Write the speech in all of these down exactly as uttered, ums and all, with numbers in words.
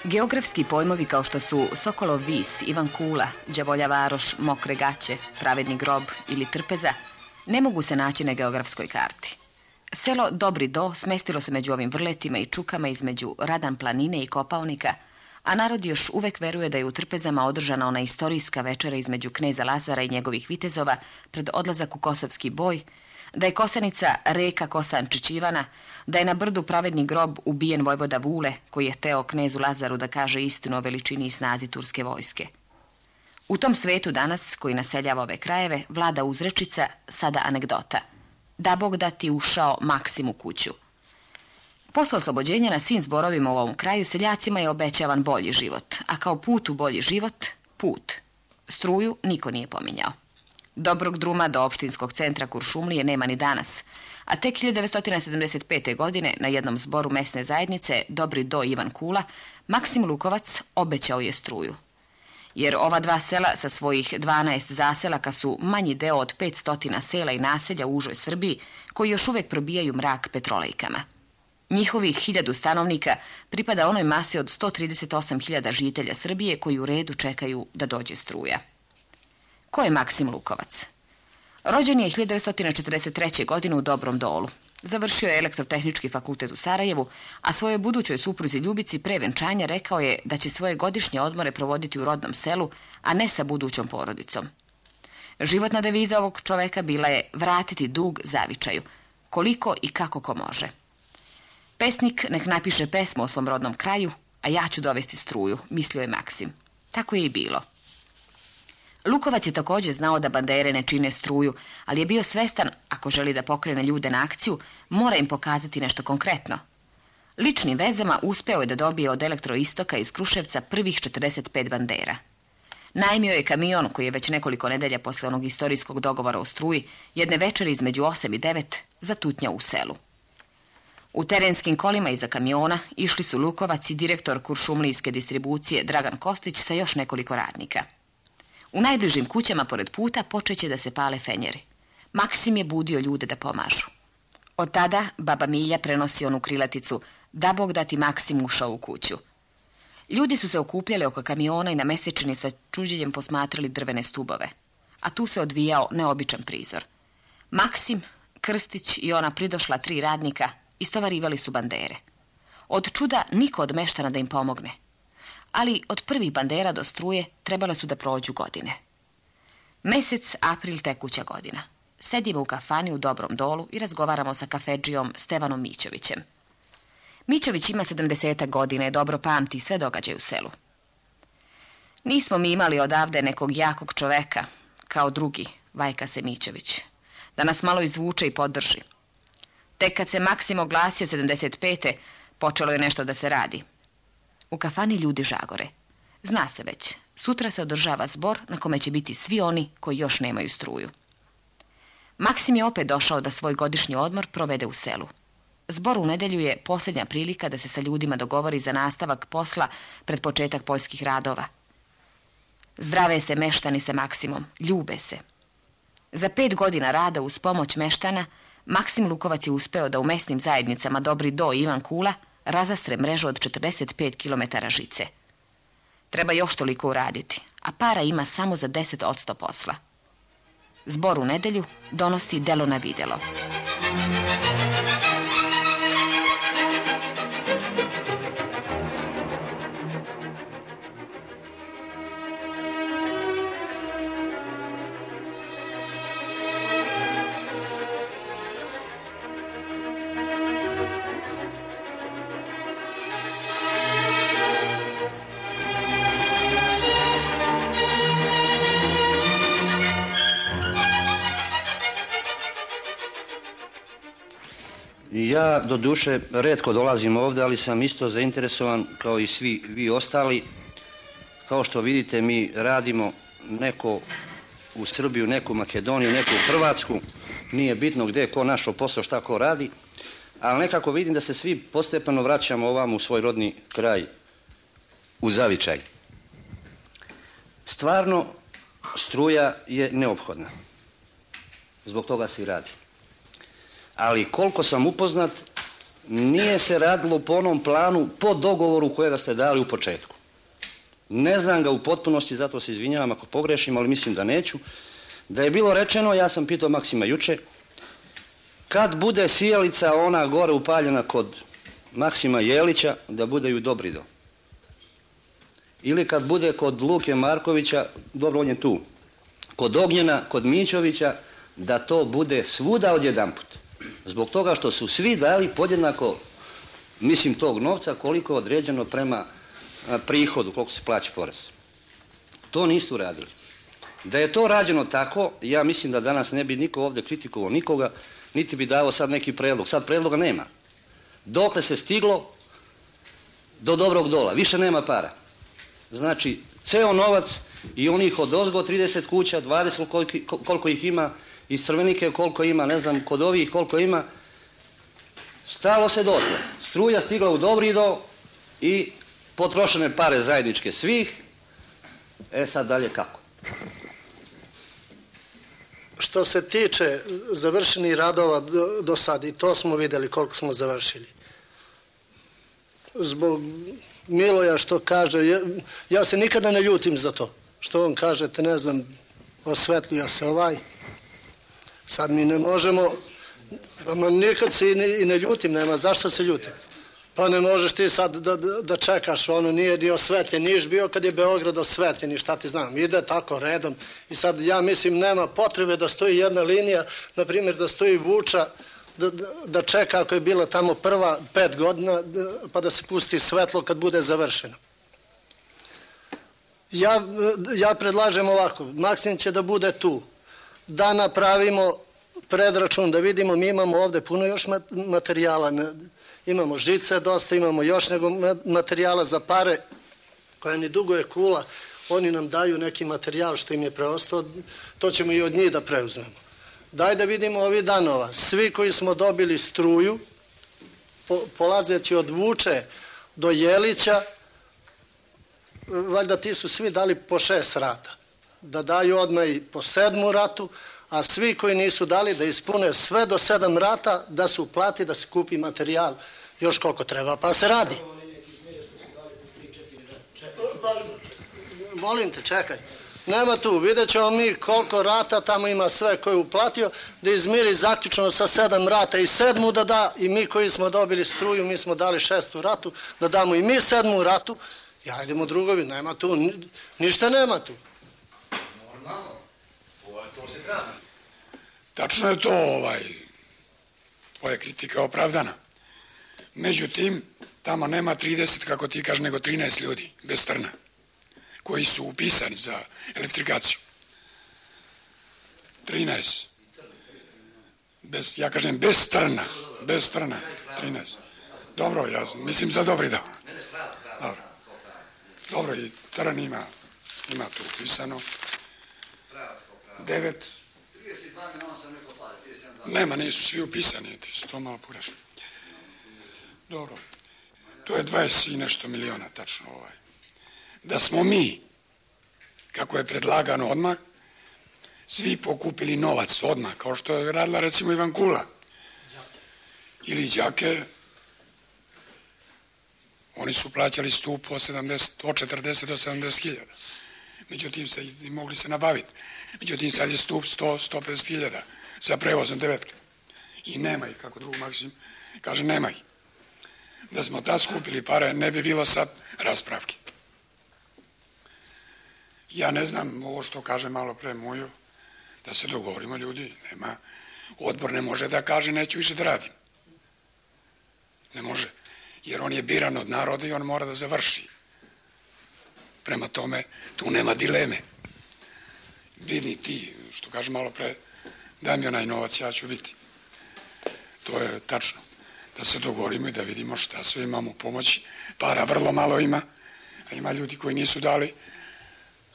Geografski pojmovi kao što su Sokolov vis, Ivan Kula, Đavolja varoš, Mokre gaće, Pravedni grob ili Trpeza ne mogu se naći na geografskoj karti. Selo Dobri do smestilo se među ovim vrletima i čukama između Radan planine i Kopaonika, a narod još uvek veruje da je u Trpezama održana ona istorijska večera između kneza Lazara i njegovih vitezova pred odlazak u Kosovski boj, da je Kosanica reka Kosančić Ivana, da je na brdu Pravedni grob ubijen vojvoda Vule, koji je hteo knezu Lazaru da kaže istinu o veličini i snazi turske vojske. U tom svetu danas, koji naseljava ove krajeve, vlada uzrečica, sada anegdota. Da Bog da ti ušao Maksim u kuću. Posle oslobođenja na svim zborovima u ovom kraju seljacima je obećavan bolji život, a kao put u bolji život, put. Struju niko nije pominjao. Dobrog druma do opštinskog centra Kuršumlije nema ni danas, a tek hiljadu devetsto sedamdeset pete. godine na jednom zboru mesne zajednice Dobri do Ivan Kula, Maksim Lukovac obećao je struju. Jer ova dva sela sa svojih dvanaest zaselaka su manji deo od petsto sela i naselja u užoj Srbiji koji još uvek probijaju mrak petrolejkama. Njihovih hiljadu stanovnika pripada onoj masi od sto trideset osam hiljada žitelja Srbije koji u redu čekaju da dođe struja. Ko je Maksim Lukovac? Rođen je hiljadu devetsto četrdeset treće. godine u Dobrom Dolu. Završio je elektrotehnički fakultet u Sarajevu, a svojoj budućoj supruzi Ljubici pre venčanja rekao je da će svoje godišnje odmore provoditi u rodnom selu, a ne sa budućom porodicom. Životna deviza ovog čoveka bila je vratiti dug zavičaju, koliko i kako ko može. Pesnik nek napiše pesmu o svom rodnom kraju, a ja ću dovesti struju, mislio je Maksim. Tako je i bilo. Lukovac je također znao da bandere ne čine struju, ali je bio svestan, ako želi da pokrene ljude na akciju, mora im pokazati nešto konkretno. Ličnim vezama uspeo je da dobije od Elektroistoka iz Kruševca prvih četrdeset pet bandera. Najmio je kamion koji je već nekoliko nedelja posle onog istorijskog dogovora o struji, jedne večeri između osam i devet, zatutnjao u selu. U terenskim kolima iza kamiona išli su Lukovac i direktor kuršumlijske distribucije Dragan Kostić sa još nekoliko radnika. U najbližim kućama pored puta počeće da se pale fenjeri. Maksim je budio ljude da pomažu. Od tada baba Milja prenosi onu krilaticu da Bog da ti Maksim ušao u kuću. Ljudi su se okupljali oko kamiona i na mesečini sa čuđenjem posmatrali drvene stubove. A tu se odvijao neobičan prizor. Maksim, Krstić i ona pridošla tri radnika istovarivali su bandere. Od čuda niko od meštana da im pomogne. Ali od prvih bandera do struje trebale su da prođu godine. Mesec april tekuća godina. Sedimo u kafani u Dobrom Dolu i razgovaramo sa kafedžijom Stevanom Mićovićem. Mićović ima sedamdeset godina i dobro pamti sve događaje u selu. Nismo mi imali odavde nekog jakog čoveka, kao drugi, vajka se Mićović, da nas malo izvuče i podrži. Tek kad se Maksim oglasio sedamdeset pete. počelo je nešto da se radi. U kafani ljudi žagore. Zna se već, sutra se održava zbor na kome će biti svi oni koji još nemaju struju. Maksim je opet došao da svoj godišnji odmor provede u selu. Zbor u nedelju je posljednja prilika da se sa ljudima dogovori za nastavak posla pred početak poljskih radova. Zdrave se meštani sa Maksimom, ljube se. Za pet godina rada uz pomoć meštana, Maksim Lukovac je uspeo da u mesnim zajednicama Dobri do i Ivan Kula razastre mrežu od četrdeset pet kilometara žice. Treba još toliko uraditi, a para ima samo za deset posto posla. Zbor u nedelju donosi delo na videlo. Ja, do duše, retko dolazim ovdje, ali sam isto zainteresovan kao i svi vi ostali. Kao što vidite, mi radimo neko u Srbiju, neku u Makedoniju, neku u Hrvatsku. Nije bitno gdje ko našo posao, šta ko radi. Ali nekako vidim da se svi postepeno vraćamo ovamo u svoj rodni kraj, u zavičaj. Stvarno, struja je neophodna. Zbog toga se i radi. Ali koliko sam upoznat, nije se radilo po onom planu, po dogovoru kojega ste dali u početku. Ne znam ga u potpunosti, zato se izvinjavam ako pogrešim, ali mislim da neću. Da je bilo rečeno, ja sam pitao Maksima juče, kad bude sijalica ona gore upaljena kod Maksima Jelića, da bude ju Dobrido. Ili kad bude kod Luke Markovića, dobro on je tu, kod Ognjena, kod Mićovića, da to bude svuda odjedanput. Zbog toga što su svi dali podjednako, mislim, tog novca koliko je određeno prema prihodu, koliko se plaća porez. To nisu radili. Da je to rađeno tako, ja mislim da danas ne bi niko ovdje kritikovao nikoga, niti bi dao sad neki predlog. Sad predloga nema. Dokle se stiglo do dobrog dola, više nema para. Znači, ceo novac i onih od ozgo trideset kuća, dvadeset koliko, koliko ih ima, iz Crvenike koliko ima, ne znam, kod ovih koliko ima, stalo se dotle. Struja stigla u Dobrido i potrošene pare zajedničke svih. E sad dalje kako? Što se tiče završenih radova do, do sad, i to smo vidjeli koliko smo završili. Zbog Miloja što kaže, ja, ja se nikada ne ljutim za to. Što on kažete, ne znam, osvetlio se ovaj. Sad mi ne možemo, ma nikad se i ne, i ne ljutim, nema zašto se ljutim. Pa ne možeš ti sad da, da, da čekaš, ono nije ni osvetljen, niješ bio kad je Beograd osvetljen i šta ti znam, ide tako redom. I sad ja mislim nema potrebe da stoji jedna linija, na primjer da stoji Vuča, da, da, da čeka ako je bila tamo prva pet godina, da, pa da se pusti svetlo kad bude završeno. Ja, ja predlažem ovako, Maksim će da bude tu, da napravimo predračun, da vidimo, mi imamo ovdje puno još materijala, imamo žice dosta, imamo još nego materijala za pare, koja ni dugo je kula, oni nam daju neki materijal što im je preostao, to ćemo i od njih da preuzmemo. Daj da vidimo ovih danova, svi koji smo dobili struju, po, polazeći od Vuče do Jelića, valjda ti su svi dali po šest rata, da daju odmah i po sedmu ratu, a svi koji nisu dali da ispune sve do sedam rata, da se uplati, da se kupi materijal još koliko treba, pa se radi. Molim te, čekaj. Nema tu, vidjet ćemo mi koliko rata tamo ima sve koji je uplatio, da izmiri zaključno sa sedam rata i sedmu da da, i mi koji smo dobili struju, mi smo dali šestu ratu, da damo i mi sedmu ratu, i hajdemo drugovi, nema tu, ništa nema tu. Normalno, to se treba. Tačno je to, ovaj, tvoja kritika opravdana. Međutim, tamo nema trideset, kako ti kažeš, nego trinaest ljudi, bez trna, koji su upisani za elektrifikaciju. trinaest. Bez, ja kažem, bez trna, bez trna, trinaest. Dobro, ja mislim za Dobrido. Dobro. Dobro, i trn ima, ima tu upisano. Devet. Nema, nisu svi upisani, ti su to malo pogrešno. Dobro, to je dvadeset i nešto miliona, tačno ovaj. Da smo mi, kako je predlagano odmah, svi pokupili novac odmah, kao što je radila recimo Ivan Kula. Ili Đake, oni su plaćali stup od, sedamdeset, od četrdeset do sedamdeset hiljada. Međutim, se, mogli se nabaviti. Međutim, sad je stup sto do sto pedeset hiljada za prevozom devetke. I nema ih, kako drug Maksim kaže, nema ih. Da smo ta skupili pare, ne bi bilo sad raspravke. Ja ne znam, ovo što kaže malo pre Mujo, da se dogovorimo ljudi, nema, odbor ne može da kaže neću više da radim. Ne može, jer on je biran od naroda i on mora da završi. Prema tome, tu nema dileme. Vidi ti, što kaže malo pre, daj mi onaj novac, ja ću biti. To je tačno. Da se dogovorimo i da vidimo šta sve imamo pomoći. Para vrlo malo ima, a ima ljudi koji nisu dali,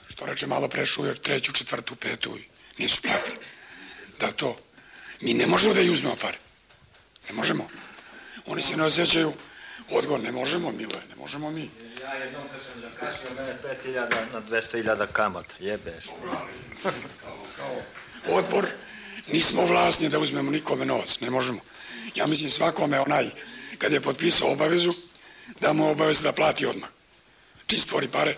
što reče malo pre Šujer, treću, četvrtu, petu, nisu platili. Da to, mi ne možemo da i uzmemo pare. Ne možemo. Oni se ne osjećaju odgovor, ne možemo, Miloje, ne možemo mi. Ja jednom kad sam zakasio, mene pet hiljada na dvesta hiljada kamata, jebeš. Kao, kao odbor, nismo vlasni da uzmemo nikome novac, ne možemo. Ja mislim svakome onaj, kad je potpisao obavezu, da mu obavezu da plati odmah. Čim stvori pare,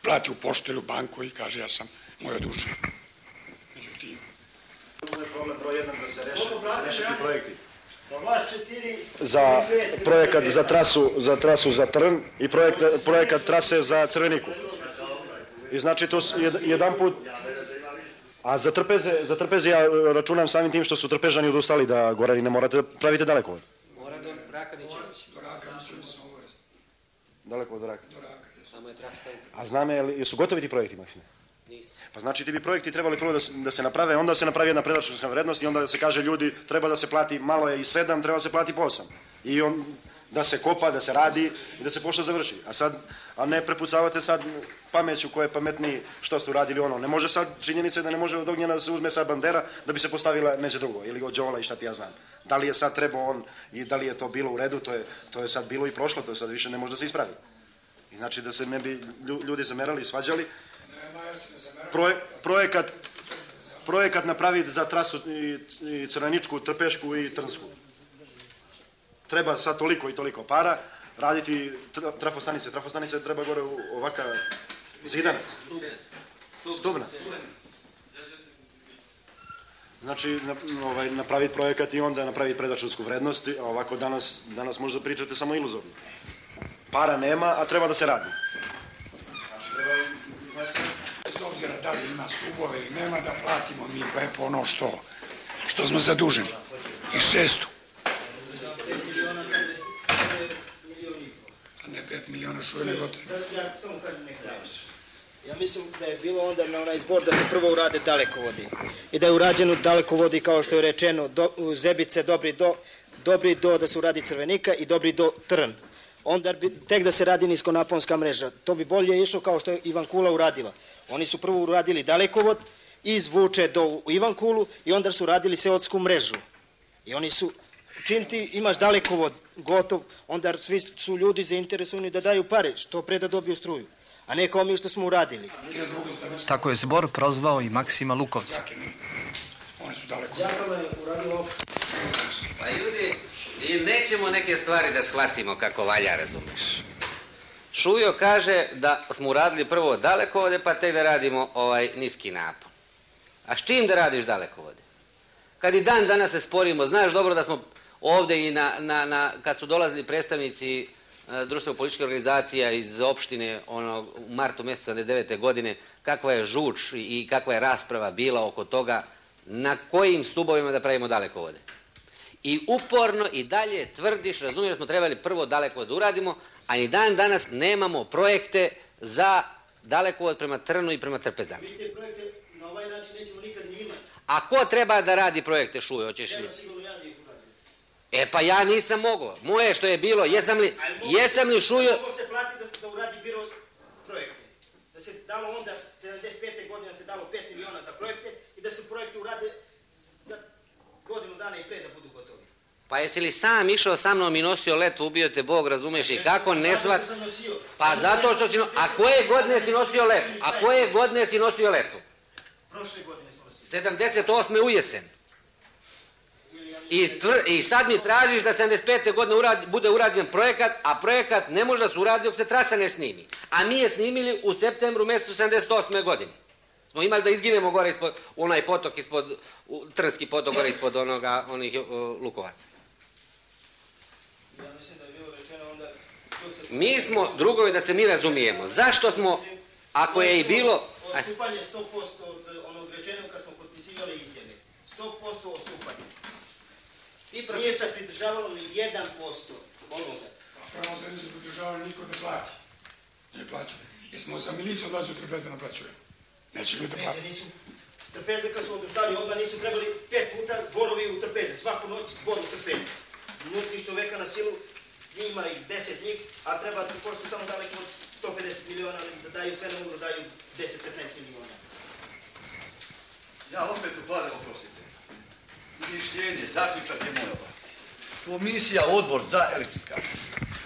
plati u poštu ili u banku i kaže ja sam moj odužen. Međutim, ovo je problem broj jedan da se reše ti projekti. Za projekat za trasu za trasu za Trn i projekt, projekat trase za Crveniku. I znači to jedan put. A za Trpeze, za Trpeze ja računam samim tim što su Trpežani odustali da Gorani ne morate pravite dalekovod. Mora do Rakanićević. do Rakanićević smo obavezni. Dalekovod do Raka. Do Rakanićević. Samo je trasa stanica. A znam je, su gotovi ti projekti, Maksime? Nisu. Pa znači ti bi projekti trebali prvo da se, da se naprave, onda se napravi jedna predračunska vrednost i onda se kaže ljudi treba da se plati, malo je i sedam, treba da se plati po osam. I on da se kopa, da se radi i da se pošta završi. A sad, a ne prepucavate sad pameću ko je pametniji što ste uradili ono. Ne može sad, činjenica je da ne može od ognjena da se uzme sad bandera da bi se postavila neće drugo ili od Đola i šta ti ja znam. Da li je sad trebao on i da li je to bilo u redu, to je, to je sad bilo i prošlo, to je sad više ne može da se ispravi. I znači da se ne bi ljudi zamerali i svađali. Proje, projekat, projekat napraviti za trasu i, i Crveničku, Trpešku i Trnsku. Treba sad toliko i toliko para, raditi trafostanice. Trafostanice treba gore ovaka zidana. Stubna. Znači, ovaj, napraviti projekat i onda napraviti predračunsku vrednost, a ovako danas, danas možda pričate samo iluzorno. Para nema, a treba da se radi. Znači, treba izvesti. Bez obzira da li ima stubove ili nema, da platimo mi lepo ono što, što smo zaduženi. I šestu. A ne pet miliona šuje nego gotovo. Ja mislim da je bilo onda na onaj zbor da se prvo urade dalekovodi. I da je urađeno dalekovodi kao što je rečeno do, Zebice, Dobri do, Dobri do da se uradi Crvenika i Dobri do Trn. Onda bi tek da se radi niskonaponska mreža. To bi bolje išlo kao što je Ivankula uradila. Oni su prvo uradili dalekovod iz Vuče do Ivankulu i onda su radili seotsku mrežu. I oni su, čim ti imaš dalekovod gotov, onda svi su ljudi zainteresovani da daju pare, što pre da dobiju struju. A ne kao mi što smo uradili. Tako je zbor prozvao i Maksima Lukovca. Oni su daleko. Pa ljudi, i nećemo neke stvari da shvatimo kako valja, razumeš. Šujo kaže da smo uradili prvo dalekovode, pa tek da radimo ovaj niski napon. A s čim da radiš dalekovode? Kad i dan danas se sporimo, znaš dobro da smo ovde i na, na, na kad su dolazili predstavnici društveno-političke organizacija iz opštine ono, u martu mjesecu sedamdeset devete godine, kakva je žuč i kakva je rasprava bila oko toga na kojim stubovima da pravimo dalekovode. I uporno i dalje tvrdiš, razumiješ, da smo trebali prvo dalekovod da uradimo, a i dan danas nemamo projekte za dalekovod prema Trnu i prema Trpezama. Mi te projekte na ovaj način nećemo nikad ni imati. A ko treba da radi projekte, Šujo, hoćeš li? Ja sigurno ja njih uradim. E pa ja nisam mogao. Moje što je bilo, jesam li, jesam li Šujo... Mogu se platiti da, da uradi biro projekte. Da se dalo onda, sedamdeset pete godine se dalo pet miliona za projekte i da se projekte urade za godinu dana i pre da budu gotovi. Pa jesi li sam išao sa mnom i nosio letvu, ubio te Bog, razumeš, i kako ne svat... Pa zato što si... A koje godine si nosio letvu? A koje godine si nosio letvu? Prošle godine smo nosili. sedamdeset osme u jesen. I, tvr, I sad mi tražiš da sedamdeset pete godine urad, bude urađen projekat, a projekat ne može da se uradi dok se trasa ne snimi. A mi je snimili u septembru mjesecu sedamdeset osme godine. Smo imali da izginemo gore ispod, onaj potok ispod, Trnski potok gore ispod onoga, onih uh, Lukovaca. Ja mislim da je bilo rečeno onda... Mi smo, drugovi, da se mi razumijemo. Zašto smo, ako je i bilo... Odstupanje sto posto od onog rečenog kad smo potpisivali izjave. sto posto odstupanje. Nije se pridržavalo ni jedan posto onoga. A pravo se nisu pridržavali niko da plati. Nije plaćali. Jer smo za miliciju odlazi u Trpeze da naplaćuje. Neće ljudi da plati. Nisu. Trpeze kad su odustali, onda nisu trebali pet puta dvorovi u Trpeze. Svaku noć dvor u Trpeze. Nutiš čoveka na silu, ima ih deset njih, a treba ti pošto samo daleko od sto pedeset miliona da daju sve na ugru, daju deset do petnaest miliona. Ja opet upadam, oprostite. Mišljenje, zaključak je moj ovak. Komisija, odbor za elektrifikaciju,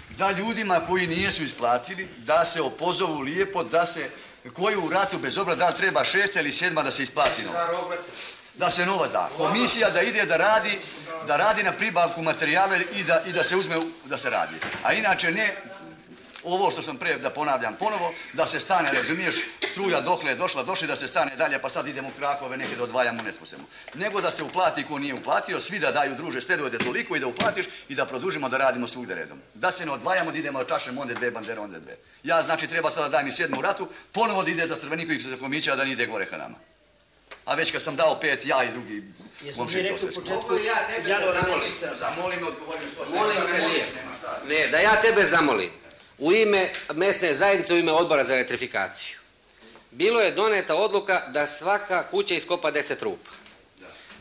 da ljudima koji nijesu isplatili, da se opozovu lijepo, da se, koji u ratu bez obra, da li treba šesta ili sedma da se isplati novac. da se novac da. Komisija da ide da radi, da radi na pribavku materijala i da, i da se uzme da se radi. A inače ne, ovo što sam pre da ponavljam ponovo, da se stane, razumiješ, struja dokle je došla, došli da se stane dalje, pa sad idemo u Krakove neke da odvajamo, ne sposebno. Nego da se uplati ko nije uplatio, svi da daju druže, stedujete toliko i da uplatiš i da produžimo da radimo svugde redom. Da se ne odvajamo, da idemo da čašemo onda dve bandere, onda dve. Ja znači treba sada daj mi sedmu u ratu, ponovo da ide za Crveniković za Komića, da ne ide gore ka nama. A već kad sam dao pet, ja i drugi... Jesmo mi rekli u početku ja tebe da zamolim. Zamolim me, odgovorim što... Molim te lijepo. Ne, da ja tebe zamolim. U ime mesne zajednice, u ime odbora za elektrifikaciju. Bilo je doneta odluka da svaka kuća iskopa deset rupa.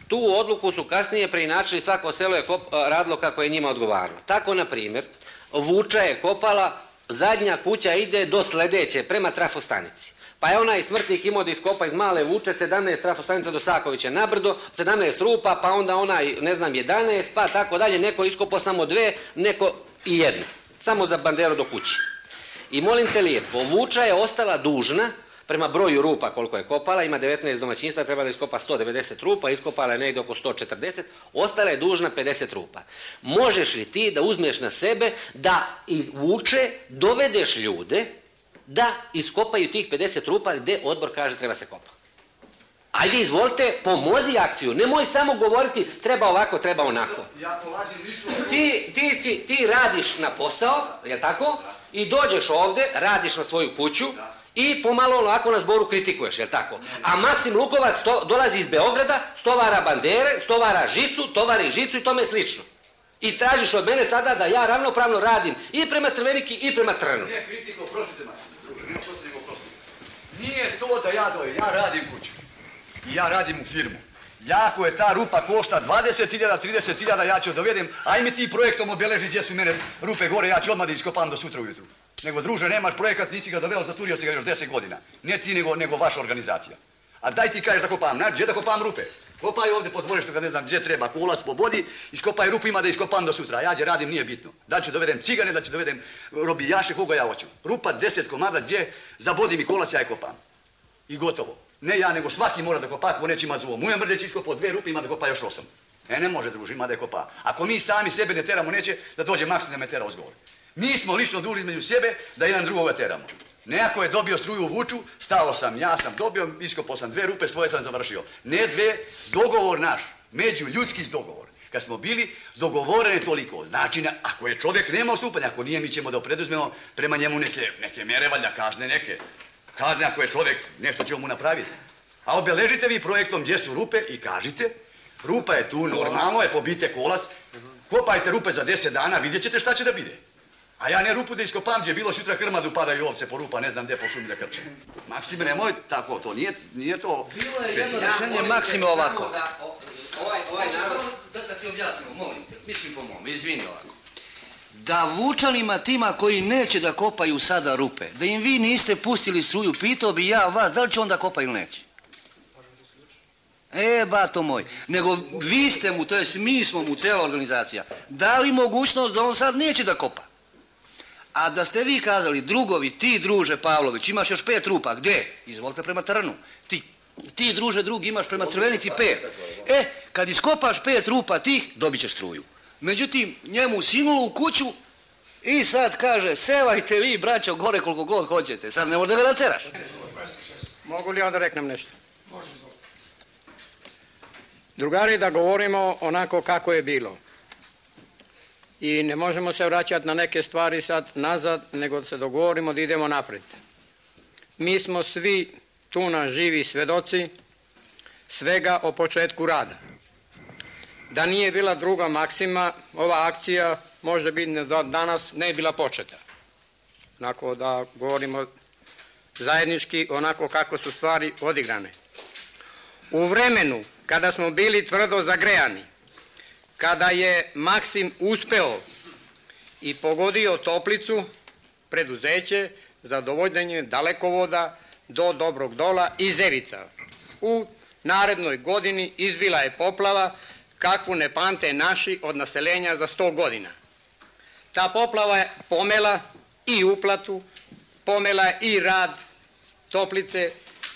Tu odluku su kasnije preinačili, svako selo je radilo kako je njima odgovaralo. Tako, na primjer, Vuča je kopala, zadnja kuća ide do sledeće, prema trafostanici. Pa je onaj smrtnik imao da iskopa iz Male Vuče sedamnaest trafostanica do Sakovića nabrdo, sedamnaest rupa, pa onda onaj, ne znam, jedanaest, pa tako dalje, neko iskopao samo dve, neko i jednu. Samo za banderu do kući. I molim te lijepo, Vuča je ostala dužna, prema broju rupa koliko je kopala, ima devetnaest domaćinstva, treba da iskopa sto devedeset rupa, iskopala je negdje oko sto četrdeset, ostala je dužna pedeset rupa. Možeš li ti da uzmeš na sebe da iz Vuče dovedeš ljude da iskopaju tih pedeset rupa gdje odbor kaže treba se kopa? Ajde, izvolite, pomozi akciju, nemoj samo govoriti treba ovako, treba onako. Ja polazim više... Ti, ti, si, ti radiš na posao, je tako? I dođeš ovde, radiš na svoju kuću i pomalo onako na zboru kritikuješ, je tako? A Maksim Lukovac to, dolazi iz Beograda, stovara bandere, stovara žicu, tovari žicu i tome slično. I tražiš od mene sada da ja ravnopravno radim i prema Crveniki i prema Trnu. Nije kritiko, prostite Maksim, druže, nema prostite nego prostite. Nije to da ja dojem, ja radim kuću. I ja radim u firmu. Ja, ako je ta rupa košta dvadeset hiljada, trideset hiljada, ja ću dovedem, aj mi ti projektom obeleži gdje su mene rupe gore, ja ću odmah da iskopam do sutra ujutru. Nego, druže, nemaš projekat, nisi ga doveo, zaturio si ga još deset godina. Ne ti, nego, nego vaša organizacija. A daj ti kažeš da kopam, na, gdje da kopam rupe? Kopaj ovdje po dvorištu kad ne znam gdje treba, kolac po bodi, iskopaj rupu, ima da iskopam do sutra. A ja gdje radim, nije bitno. Da ću dovedem cigane, da ću dovedem robijaše, koga ja hoću. Rupa deset komada, gdje zabodi mi kolac, ja je kopam. I gotovo. Ne ja, nego svaki mora da kopa, ako neće ima zuo. Mujem Mrdeć iskopao dve rupe, ima da kopa još osam. E, ne može, druži, ima da je kopa. Ako mi sami sebe ne teramo, neće da dođe Maksim da me tera uzgovor. Mi smo lično dužni među sebe da jedan drugoga teramo. Neko je dobio struju u Vuču, stao sam, ja sam dobio, iskopao sam dve rupe, svoje sam završio. Ne dve, dogovor naš, među ljudski dogovor. Kad smo bili dogovoreni toliko, znači ako je čovjek nema odstupanja, ako nije, mi ćemo da preduzmemo prema njemu neke, neke mere, valjda kažne neke. Kazne ako je čovjek, nešto ćemo mu napraviti. A obeležite vi projektom gdje su rupe i kažite, rupa je tu, normalno je, pobite kolac, kopajte rupe za deset dana, vidjet ćete šta će da bide. A ja ne rupu da iskopam, gdje bilo šutra krmadu, padaju ovce po rupa, ne znam gdje po šumi da krče. Maksime, nemoj tako, to nije, nije to... Bilo je jedno rešenje, Maksime, ovako. Da, ovaj, ovaj narod... Da, da ti objasnimo, molim te, mislim po mom, izvini ovako. Da Vučanima tima koji neće da kopaju sada rupe, da im vi niste pustili struju, pitao bi ja vas, da li će onda kopa ili neće? E, bato moj, nego vi ste mu, to jest mi smo mu, cela organizacija, dali mogućnost da on sad neće da kopa. A da ste vi kazali, drugovi, ti druže Pavlović, imaš još pet rupa, gdje? Izvolite prema Trnu. Ti, ti druže drugi imaš prema Crvenici pet. E, kad iskopaš pet rupa tih, dobit ćeš struju. Međutim, njemu sinulo u kuću i sad kaže, sevajte vi, braćo, gore koliko god hoćete. Sad ne možda ga nateraš. Mogu li ja da reknem nešto? Drugari, da govorimo onako kako je bilo. I ne možemo se vraćati na neke stvari sad nazad, nego da se dogovorimo da idemo napred. Mi smo svi tu na živi svedoci svega o početku rada. Da nije bila druga Maksima, ova akcija možda bi danas ne bila početa. Onako da govorimo zajednički, onako kako su stvari odigrane. U vremenu kada smo bili tvrdo zagrejani, kada je Maksim uspeo i pogodio Toplicu, preduzeće za dovođenje dalekovoda do Dobrog Dola i Zevica. U narednoj godini izbila je poplava kakvu ne pamte naši od naseljenja za sto godina. Ta poplava je pomela i uplatu, pomela i rad Toplice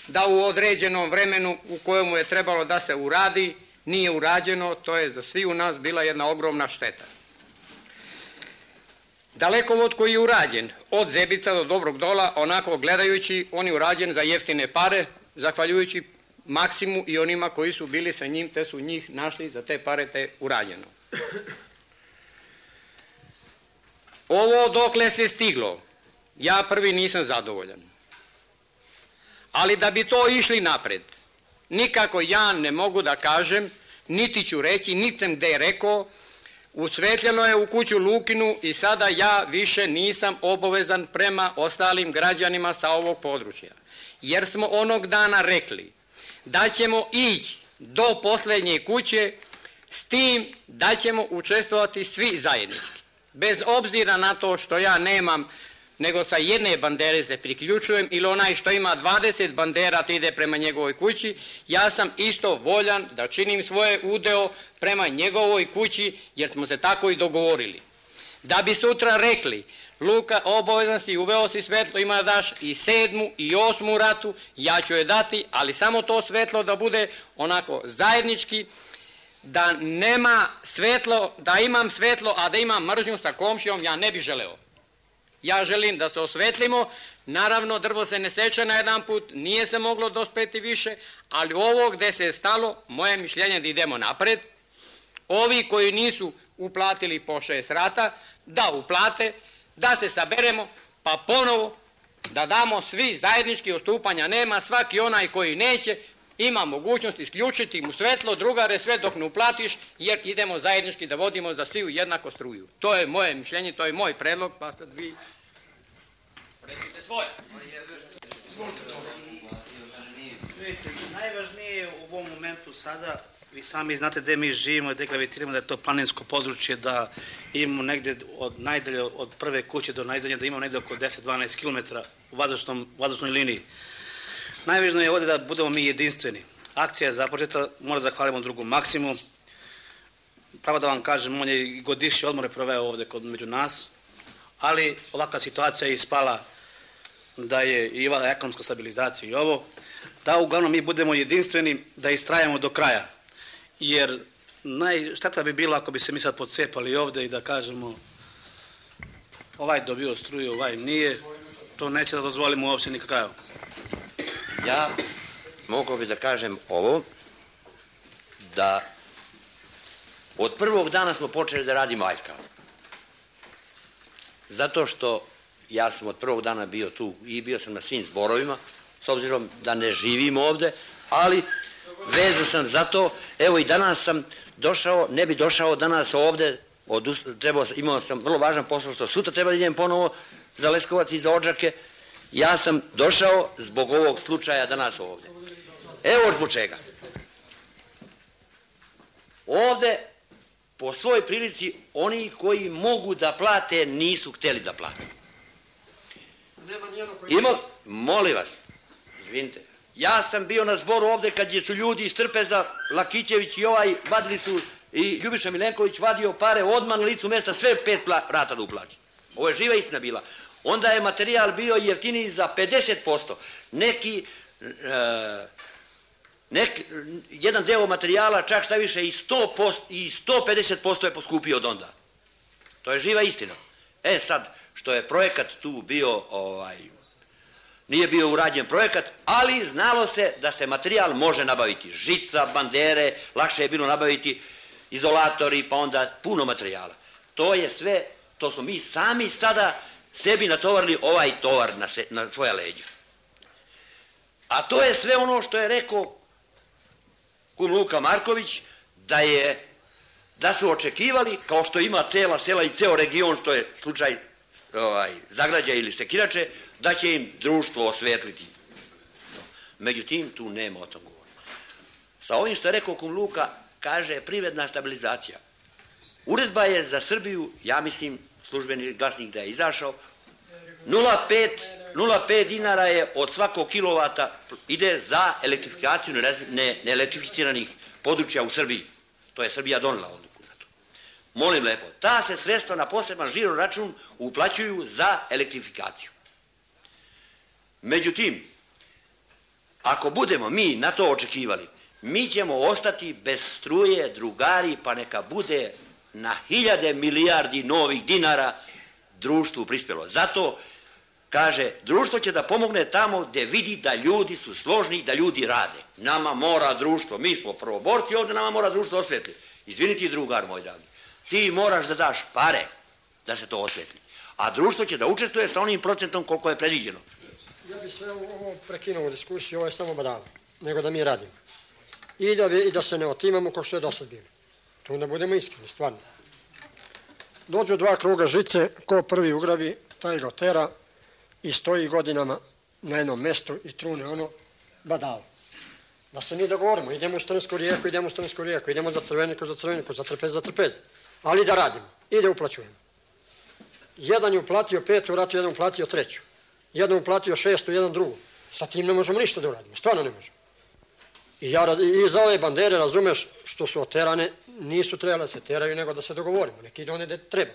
da u određenom vremenu u kojemu je trebalo da se uradi, nije urađeno, to je za svi u nas bila jedna ogromna šteta. Dalekovod koji je urađen od Zebica do Dobrog Dola, onako gledajući, on je urađen za jeftine pare, zahvaljujući Maksimu i onima koji su bili sa njim, te su njih našli za te pare, te urađeno. Ovo dokle se stiglo, ja prvi nisam zadovoljan. Ali da bi to išli napred, nikako ja ne mogu da kažem, niti ću reći, niti sam gde rekao, usvetljeno je u kuću Lukinu i sada ja više nisam obavezan prema ostalim građanima sa ovog područja. Jer smo onog dana rekli da ćemo ići do posljednje kuće s tim da ćemo učestvovati svi zajednički. Bez obzira na to što ja nemam, nego sa jedne bandere se priključujem ili onaj što ima dvadeset bandera te ide prema njegovoj kući, ja sam isto voljan da činim svoje udeo prema njegovoj kući jer smo se tako i dogovorili. Da bi sutra rekli, Luka, obavezan si, uveo si svetlo, ima da daš i sedmu i osmu ratu, ja ću je dati, ali samo to svetlo da bude onako zajednički, da nema svetlo, da imam svetlo, a da imam mržnju sa komšijom, ja ne bih želeo. Ja želim da se osvetlimo, naravno drvo se ne seče na jedan put, nije se moglo dospeti više, ali ovo gde se je stalo, moje mišljenje da idemo napred, ovi koji nisu uplatili po šest rata, da uplate, da se saberemo, pa ponovo da damo svi zajednički, odstupanja nema, svaki onaj koji neće, ima mogućnost isključiti mu svetlo, drugare sve dok ne uplatiš, jer idemo zajednički da vodimo za sviju jednako struju. To je moje mišljenje, to je moj predlog, pa sad vi recite svoje. Vidite, najvažnije u ovom momentu sada, vi sami znate gde mi živimo i gde gravitiramo, da je to planinsko područje, da imamo negde od najdalje, od prve kuće do najzadnje, da imamo negde oko deset do dvanaest kilometara u vazdušnoj liniji. Najvažnije je ovdje da budemo mi jedinstveni. Akcija je započeta, moram zahvalimo drugom Maksimu. Pravo da vam kažem, on je i godišnje odmore proveo ovdje kod među nas, ali ovakva situacija je ispala da je i ova ekonomska stabilizacija i ovo, da uglavnom mi budemo jedinstveni, da istrajamo do kraja. Jer najšteta bi bilo ako bi se mi sad podcepali ovdje i da kažemo ovaj dobio struju, ovaj nije, to neće da dozvolimo uopće nikakav. Ja mogu bi da kažem ovo, da od prvog dana smo počeli da radimo aljkavo. Zato što ja sam od prvog dana bio tu i bio sam na svim zborovima, s obzirom da ne živim ovde, ali vezan sam za to, evo i danas sam došao, ne bi došao danas ovde, trebao, imao sam vrlo važan posao, što sutra treba da idem ponovo za Leskovac i za Odžake. Ja sam došao zbog ovog slučaja danas ovde. Evo zbog čega. Ovde, po svoj prilici, oni koji mogu da plate, nisu hteli da plate. Ima, molim vas, izvinite, ja sam bio na zboru ovde kad su ljudi iz Trpeza, Lakićević i ovaj, vadili su, i Ljubiša Milenković vadio pare odmah na licu mesta, sve pet rata da uplati. Ovo je živa istina bila. Onda je materijal bio jeftiniji za pedeset posto. Neki, e, nek, jedan deo materijala, čak šta više, i, sto posto, i sto pedeset posto je poskupio od onda. To je živa istina. E sad, što je projekat tu bio, ovaj, nije bio urađen projekat, ali znalo se da se materijal može nabaviti. Žica, bandere, lakše je bilo nabaviti izolatori, pa onda puno materijala. To je sve, to smo mi sami sada sebi natovarili ovaj tovar na, se, na svoja leđa. A to je sve ono što je rekao kum Luka Marković, da je, da su očekivali, kao što ima cela sela i ceo region, što je slučaj ovaj, Zagrađa ili Sekirače, da će im društvo osvetliti. Međutim, tu nema o tom govora. Sa ovim što je rekao kum Luka, kaže privredna stabilizacija. Uredba je za Srbiju, ja mislim, službeni glasnik da je izašao, nula zarez pet dinara je od svakog kilovata ide za elektrifikaciju neelektrificiranih područja u Srbiji. To je Srbija donela odluku na to. Molim lepo, ta se sredstva na poseban žiro račun uplaćuju za elektrifikaciju. Međutim, ako budemo mi na to očekivali, mi ćemo ostati bez struje, drugari, pa neka bude na hiljade milijardi novih dinara društvu prispjelo. Zato, kaže, društvo će da pomogne tamo gdje vidi da ljudi su složni i da ljudi rade. Nama mora društvo, mi smo prvoborci ovdje, nama mora društvo osvetli. Izvini ti, drugar moj dragi, ti moraš da daš pare da se to osvetli. A društvo će da učestvuje sa onim procentom koliko je predviđeno. Ja bih sve ovo prekinuo u diskusiju, ovo je samo badava, nego da mi radimo. I da, i da se ne otimamo kao što je do sad bilo. To onda budemo iskreni, stvarno. Dođu dva kruga žice, ko prvi ugrabi, taj ga tera i stoji godinama na jednom mjestu i trune ono badava. Da se mi dogovorimo, idemo u Strnsku rijeku, idemo u Strnsku rijeku, idemo za Crveniku, za Crveniku, za Trpez, za Trpez. Ali da radimo i da uplaćujemo. Jedan je uplatio petu, vratu jedan uplatio treću. Jedan uplatio šestu, jedan drugu. Sa tim ne možemo ništa da uradimo, stvarno ne možemo. I, ja, i za ove bandere, razumeš, što su oterane, nisu trebali da se teraju, nego da se dogovorimo, neki ide one gde treba.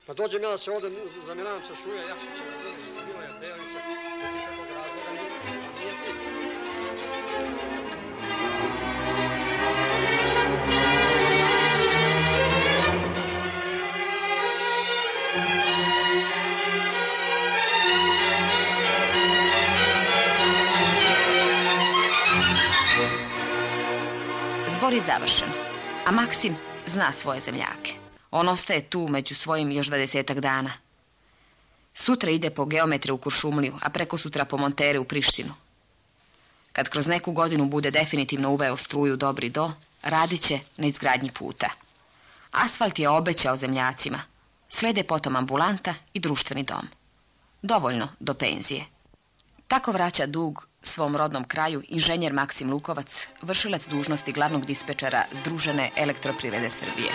Pa dođem ja da se ovdje zamiravam sa Šuja, ja se će razumeš, iz Miloja Bejovića, bez ikakvog razloga, nije flit. Zbor je završen, a Maksim zna svoje zemljake. On ostaje tu među svojim još dvadesetak dana. Sutra ide po geometre u Kuršumliju, a preko sutra po montere u Prištinu. Kad kroz neku godinu bude definitivno uveo struju Dobri do, radit će na izgradnji puta. Asfalt je obećao zemljacima. Slede potom ambulanta i društveni dom. Dovoljno do penzije. Tako vraća dug svom rodnom kraju inženjer Maksim Lukovac, vršilac dužnosti glavnog dispečera Združene elektroprivrede Srbije.